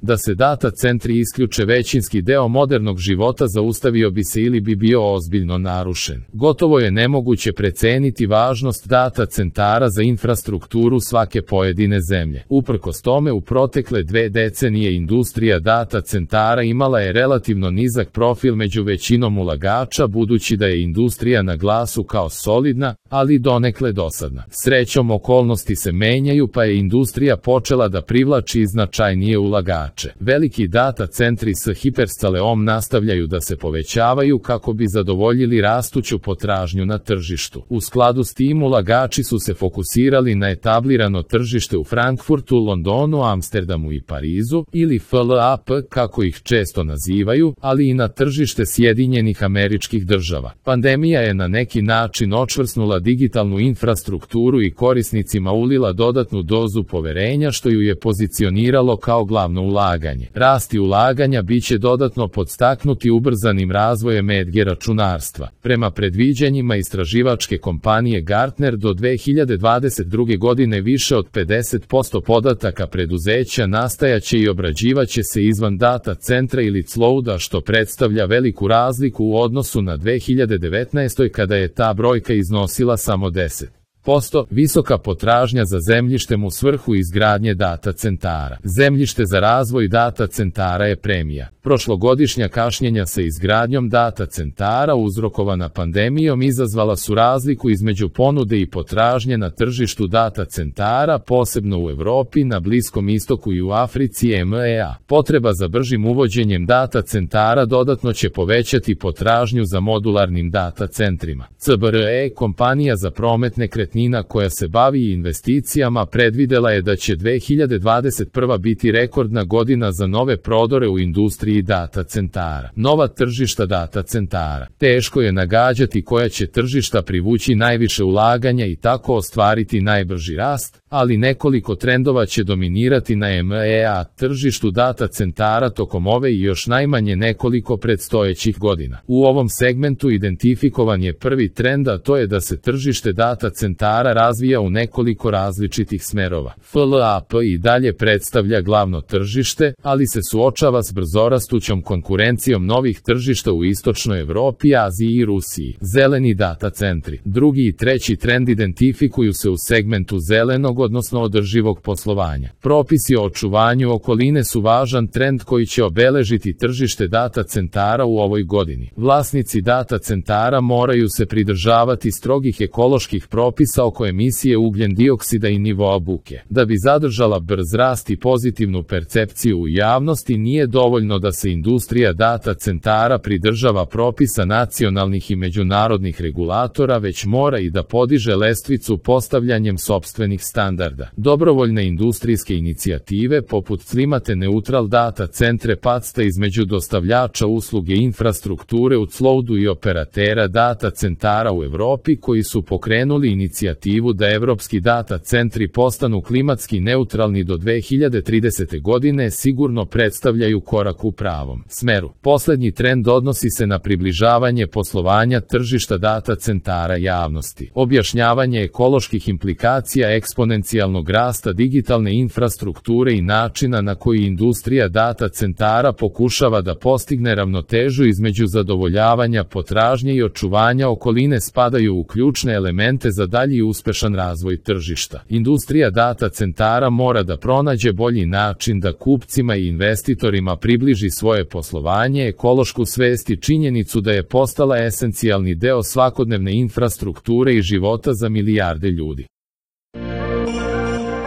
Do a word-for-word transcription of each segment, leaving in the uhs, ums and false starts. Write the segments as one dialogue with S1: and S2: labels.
S1: Da se data centri isključe većinski deo modernog života zaustavio bi se ili bi bio ozbiljno narušen. Gotovo je nemoguće preceniti važnost data centara za infrastrukturu svake pojedine zemlje. Uprkos tome, u protekle dve decenije industrija data centara imala je relativno nizak profil među većinom ulagača, budući da je industrija na glasu kao solidna, ali donekle dosadna. Srećom, okolnosti se menjaju, pa je industrija počela da privlači značajnije ulagače. Veliki data centri s hiperskaleom nastavljaju da se povećavaju kako bi zadovoljili rastuću potražnju na tržištu. U skladu s tim, ulagači su se fokusirali na etablirano tržište u Frankfurtu, Londonu, Amsterdamu i Parizu, ili F L A P kako ih često nazivaju, ali i na tržište Sjedinjenih Američkih Država. Pandemija je na neki način očvrsnula digitalnu infrastrukturu i korisnicima ulila dodatnu dozu poverenja, što ju je pozicioniralo kao glavno ulaganje. Rasti ulaganja biće dodatno podstaknuti ubrzanim razvojem E D G računarstva. Prema predviđanjima istraživačke kompanije Gartner, do dve hiljade dvadeset druge godine više od pedeset posto podataka preduzeća nastajaće i obrađivaće se izvan data centra ili clouda, što predstavlja veliku razliku u odnosu na dve hiljade devetnaestoj kada je ta brojka iznosila samo deset posto. Visoka potražnja za zemljištem u svrhu izgradnje data centara. Zemljište za razvoj data centara je premija. Prošlogodišnja kašnjenja sa izgradnjom data centara uzrokovana pandemijom izazvala su razliku između ponude i potražnje na tržištu data centara, posebno u Evropi, na Bliskom istoku i u Africi E M E A. Potreba za bržim uvođenjem data centara dodatno će povećati potražnju za modularnim data centrima. C B R E, kompanija za promet nekretnina koja se bavi investicijama, predvidela je da će dve hiljade dvadeset prva biti rekordna godina za nove prodore u industriji data centara. Nova tržišta data centara. Teško je nagađati koja će tržišta privući najviše ulaganja i tako ostvariti najbrži rast, ali nekoliko trendova će dominirati na E M E A tržištu data centara tokom ove i još najmanje nekoliko predstojećih godina. U ovom segmentu identifikovan je prvi trend, a to je da se tržište data centara razvija u nekoliko različitih smerova. F L A P i dalje predstavlja glavno tržište, ali se suočava s brzorastućom konkurencijom novih tržišta u istočnoj Evropi, Aziji i Rusiji. Zeleni data centri. Drugi i treći trend identifikuju se u segmentu zelenog, odnosno održivog poslovanja. Propisi o očuvanju okoline su važan trend koji će obeležiti tržište data centara u ovoj godini. Vlasnici data centara moraju se pridržavati strogih ekoloških propisa oko emisije ugljen dioksida i nivoa buke. Da bi zadržala brz rast i pozitivnu percepciju u javnosti, nije dovoljno da se industrija data centara pridržava propisa nacionalnih i međunarodnih regulatora, već mora i da podiže lestvicu postavljanjem sopstvenih standarda. Dobrovoljne industrijske inicijative poput Climate Neutral Data Centre pacta između dostavljača usluge infrastrukture u cloudu i operatera data centara u Evropi, koji su pokrenuli inicijativu da evropski data centri postanu klimatski neutralni do dve hiljade tridesete godine, sigurno predstavljaju korak u pravom smeru. Poslednji trend odnosi se na približavanje poslovanja tržišta data centara javnosti. Objašnjavanje ekoloških implikacija eksponencijalnog rasta digitalne infrastrukture i načina na koji industrija data centara pokušava da postigne ravnotežu između zadovoljavanja potražnje i očuvanja okoline spadaju u ključne elemente za dalji uspešan razvoj tržišta. Industrija data centara mora da pronađe bolji način da kupcima i investitorima približi svoje poslovanje, ekološku svest i činjenicu da je postala esencijalni deo svakodnevne infrastrukture i života za milijarde ljudi.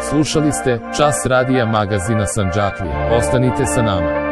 S1: Slušali ste Čas radija magazina Sandžaklija. Ostanite sa nama.